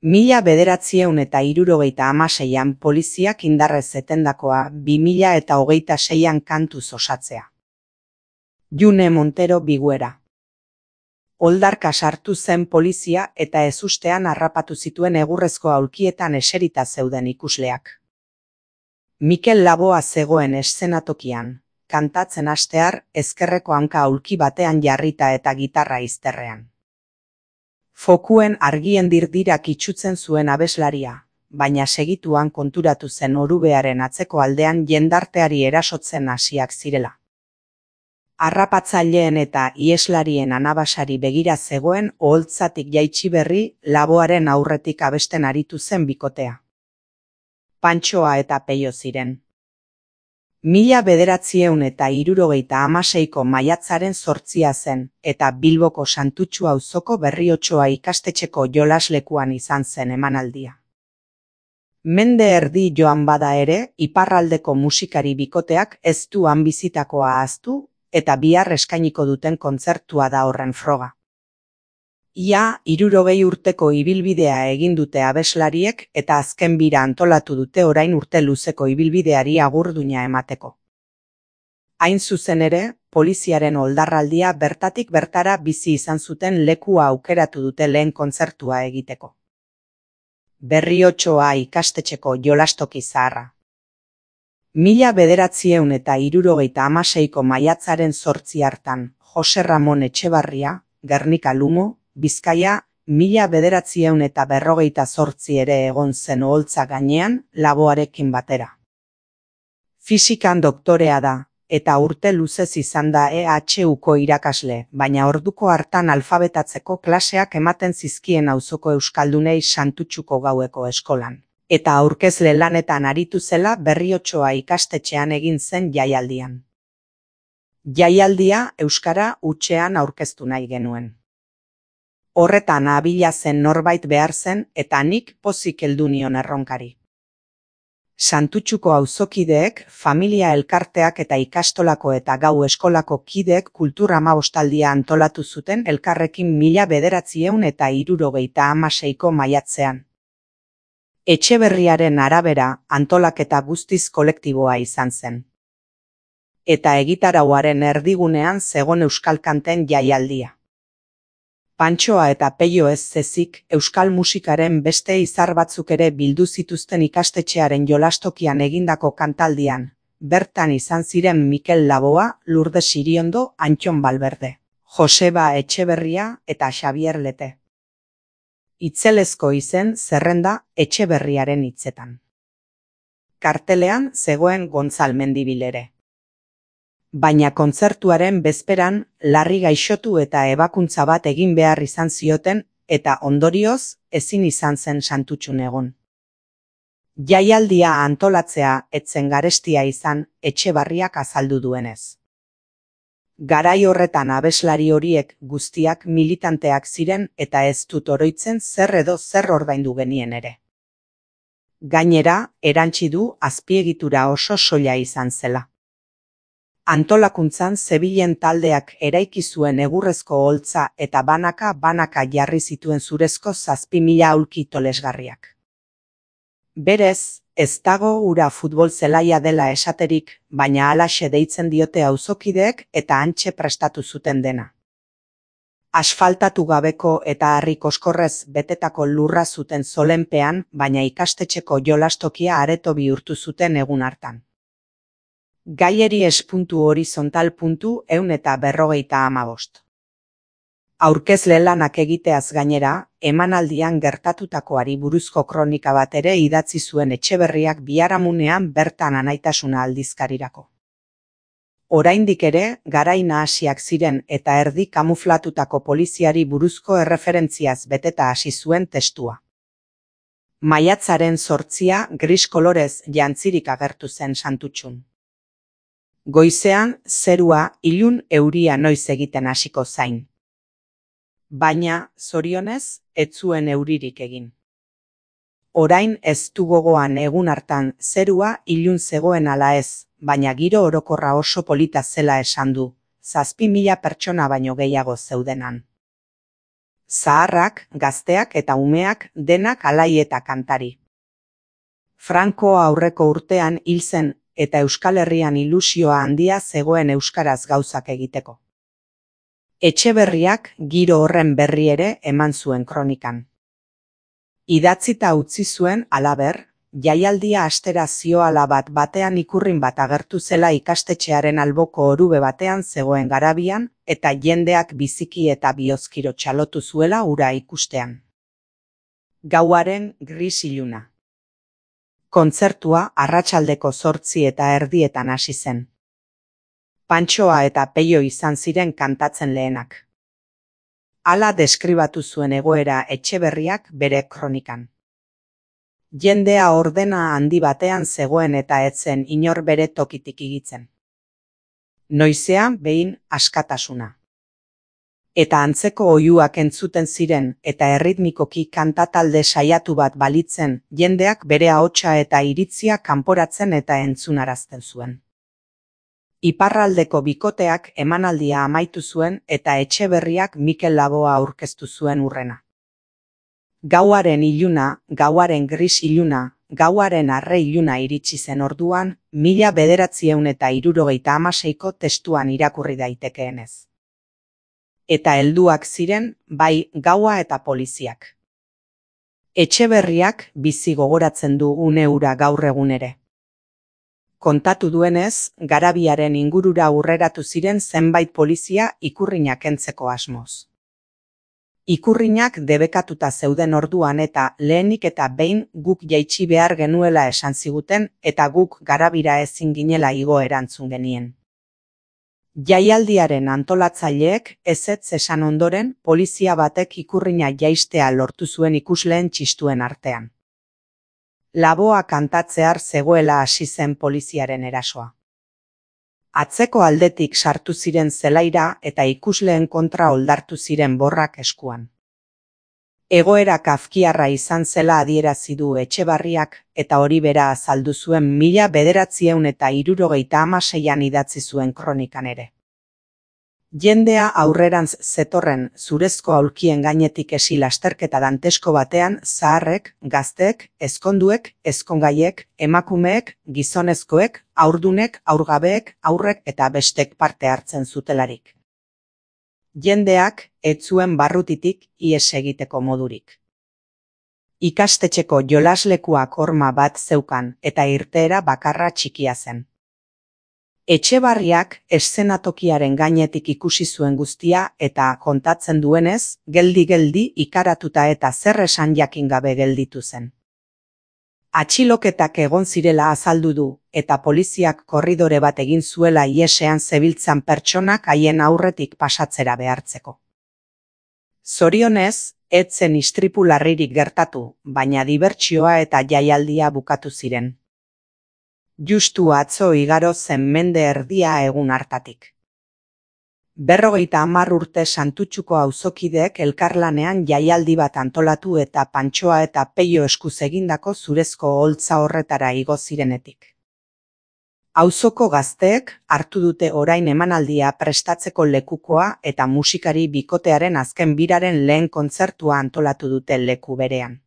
1976an poliziak indarrez etendakoa 2026an kantuz osatzea. June Montero Biguera. Oldarka sartu zen polizia eta ezustean harrapatu zituen egurrezko aulkietan eserita zeuden ikusleak. Mikel Laboa zegoen eszenatokian, kantatzen hastear ezkerreko hanka aulki batean jarrita eta gitarra izterrean. Fokuen argien dirdirak itsutzen zuen abeslaria, baina segituan konturatu zen orubearen atzeko aldean jendarteari erasotzen hasiak zirela. Harrapatzaileen eta ieslarien anabasari begira zegoen oholtzatik jaitsi berri Laboaren aurretik abesten aritu zen bikotea. Pantxoa eta Peio ziren. 1976ko maiatzaren 8 zen, eta Bilboko Santutxu auzoko Berriotxoa ikastetxeko jolaslekuan izan zen emanaldia. Mende erdi joan bada ere, iparraldeko musikari bikoteak ez du han bizitakoa ahaztu, eta bihar eskainiko duten kontzertua da horren froga. Ia 60 urteko ibilbidea egin dute abeslariek eta azken bira antolatu dute orain urte luzeko ibilbideari agurduna emateko. Hain zuzen ere, poliziaren oldarraldia bertatik bertara bizi izan zuten lekua aukeratu dute lehen kontzertua egiteko. Berriotxoa ikastetxeko jolastoki zaharra. 1976ko maiatzaren 8 hartan, Jose Ramon Etxebarria, Gernika Lumo, Bizkaia, 1948 ere egon zen oholtza gainean Laboarekin batera. Fisikan doktorea da, eta urte luzez izan da EHUko irakasle, baina orduko hartan alfabetatzeko klaseak ematen zizkien auzoko euskaldunei Santutxuko gaueko eskolan, eta aurkezle lanetan aritu zela Berriotxoa ikastetxean egin zen jaialdian. Jaialdia euskara hutsean aurkeztu nahi genuen. Horretan abila zen norbait behar zen eta nik pozik heldu nion erronkari. Santutxuko auzokideek, familia elkarteak eta ikastolako eta gau eskolako kideek kultura amabostaldia antolatu zuten elkarrekin 1976ko maiatzean. Etxeberriaren arabera antolaketa guztiz kolektiboa izan zen. Eta egitarauaren erdigunean zegon euskal kanten jaialdia. Pantxoa eta Peio ez zezik, euskal musikaren beste izar batzuk ere bildu zituzten ikastetxearen jolastokian egindako kantaldian, bertan izan ziren Mikel Laboa, Lourdes Iriondo, Antxon Balberde, Joseba Etxeberria eta Xabier Lete. Itzelezko izen zerrenda Etxeberriaren hitzetan. Kartelean zegoen Gontzal Mendibil ere. Baina kontzertuaren bezperan larri gaixotu eta ebakuntza bat egin behar izan zioten eta ondorioz ezin izan zen Santutxun egon. Jaialdia antolatzea etzen garestia izan Etxebarriak azaldu duenez. Garai horretan abeslari horiek guztiak militanteak ziren eta ez dut oroitzen zer edo zer ordaindu genien ere. Gainera, erantsi du azpiegitura oso soila izan zela. Antolakuntzan zebilen taldeak eraiki zuen egurrezko oholtza eta banaka jarri zituen zurezko 7.000 aulki tolesgarriak. Berez, ez dago ura futbol zelaia dela esaterik, baina halaxe deitzen diote auzokideek eta hantxe prestatu zuten dena. Asfaltatu gabeko eta harri koskorrez betetako lurra zuten zolenpean, baina ikastetxeko jolastokia areto bihurtu zuten egun hartan. Gaieri espuntu horizontal puntu 145. Aurkezle lanak egiteaz gainera, emanaldian gertatutakoari buruzko kronika bat ere idatzi zuen Etxeberriak biharamunean bertan Anaitasuna aldizkarirako. Oraindik ere, garai nahasiak ziren eta erdi kamuflatutako poliziari buruzko erreferentziaz beteta hasi zuen testua. Maiatzaren 8 gris kolorez jantzirik agertu zen Santutxun. Goizean, zerua ilun euria noiz egiten hasiko zain. Baina, zorionez, ez zuen euririk egin. Orain ez du gogoan egun hartan zerua ilun zegoen ala ez, baina giro orokorra oso polita zela esan du, 7.000 pertsona baino gehiago zeudenan. Zaharrak, gazteak eta umeak denak alai eta kantari. Franco aurreko urtean hil zen eta Euskal Herrian ilusioa handia zegoen euskaraz gauzak egiteko. Etxeberriak giro horren berri ere eman zuen kronikan. Idatzita utzi zuen halaber, jaialdia astera zioala bat batean ikurrin bat agertu zela ikastetxearen alboko orube batean zegoen garabian eta jendeak biziki eta bihozkiro txalotu zuela hura ikustean. Gauaren gris iluna. Kontzertua arratsaldeko 8:30 hasi zen. Pantxoa eta Peio izan ziren kantatzen lehenak. Hala deskribatu zuen egoera Etxeberriak bere kronikan. Jendea ordena handi batean zegoen eta ez zen inor bere tokitik igitzen. Noizean behin askatasuna. Eta antzeko oihuak entzuten ziren eta erritmikoki kantatalde saiatu bat balitzen, jendeak bere ahotsa eta iritzia kanporatzen eta entzunarazten zuen. Iparraldeko bikoteak emanaldia amaitu zuen eta Etxeberriak Mikel Laboa aurkeztu zuen hurrena. Gauaren iluna, gauaren gris iluna, gauaren arre iluna iritsi zen orduan, 1976ko testuan irakurri daitekeenez. Eta helduak ziren, bai gaua eta poliziak. Etxeberriak bizi gogoratzen du une hura gaur egun ere. Kontatu duenez, garabiaren ingurura hurreratu ziren zenbait polizia ikurrinak kentzeko asmoz. Ikurrinak debekatuta zeuden orduan eta lehenik eta behin guk jaitsi behar genuela esan ziguten eta guk garabira ezin ginela igo erantzun genien. Jaialdiaren antolatzaileek ezetz esan ondoren polizia batek ikurrina jaistea lortu zuen ikusleen txistuen artean. Laboa kantatzear zegoela hasi zen poliziaren erasoa. Atzeko aldetik sartu ziren zelaira eta ikusleen kontra oldartu ziren borrak eskuan. Egoera kafkiarra izan zela adierazi du Etxeberriak eta hori bera azaldu zuen 1976an idatzi zuen kronikan ere. Jendea aurrerantz zetorren zurezko aulkien gainetik esi lasterketa dantesko batean zaharrek, gazteek, ezkonduek, ezkongaiek, emakumeek, gizonezkoek, haurdunek, haurgabeek, haurrek eta bestek parte hartzen zutelarik. Jendeak ez zuen barrutitik ihes egiteko modurik. Ikastetxeko jolaslekuak horma bat zeukan eta irteera bakarra txikia zen. Etxeberriak eszenatokiaren gainetik ikusi zuen guztia eta kontatzen duenez, geldi-geldi ikaratuta eta zer esan jakin gabe gelditu zen. Atxiloketak egon zirela azaldu du eta poliziak korridore bat egin zuela ihesean zebiltzan pertsonak haien aurretik pasatzera behartzeko. Zorionez, ez zen istripu larririk gertatu, baina dibertsioa eta jaialdia bukatu ziren. Justu atzo igaro zen mende erdia egun hartatik. 50 urte Santutxuko auzokideek elkarlanean jaialdi bat antolatu eta Pantxoa eta Peio eskuz egindako zurezko oholtza horretara igo zirenetik. Auzoko gazteek hartu dute orain emanaldia prestatzeko lekukoa eta musikari bikotearen azken biraren lehen kontzertua antolatu dute leku berean.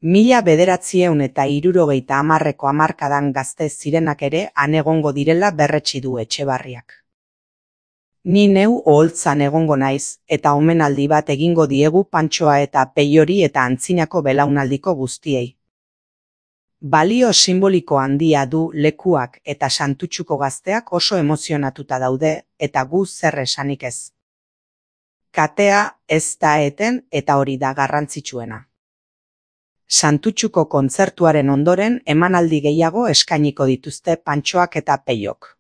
1970ko hamarkadan gazte zirenak ere han egongo direla berretsi du Etxeberriak. Ni neu oholtzan egongo naiz eta omenaldi bat egingo diegu Pantxoa eta Peiori eta antzinako belaunaldiko guztiei. Balio simboliko handia du lekuak eta Santutxuko gazteak oso emozionatuta daude eta gu zer esanik ez. Katea ez da eten eta hori da garrantzitsuena. Santutxuko kontzertuaren ondoren emanaldi gehiago eskainiko dituzte Pantxoak eta Peiok.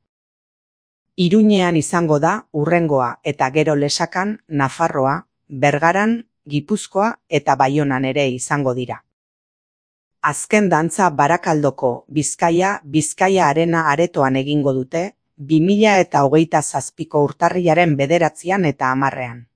Iruñean izango da hurrengoa eta gero Lesakan, Nafarroa, Bergaran, Gipuzkoa eta Baionan ere izango dira. Azken dantza Barakaldoko Bizkaia Arena aretoan egingo dute 2027ko urtarrilaren 9 eta 10.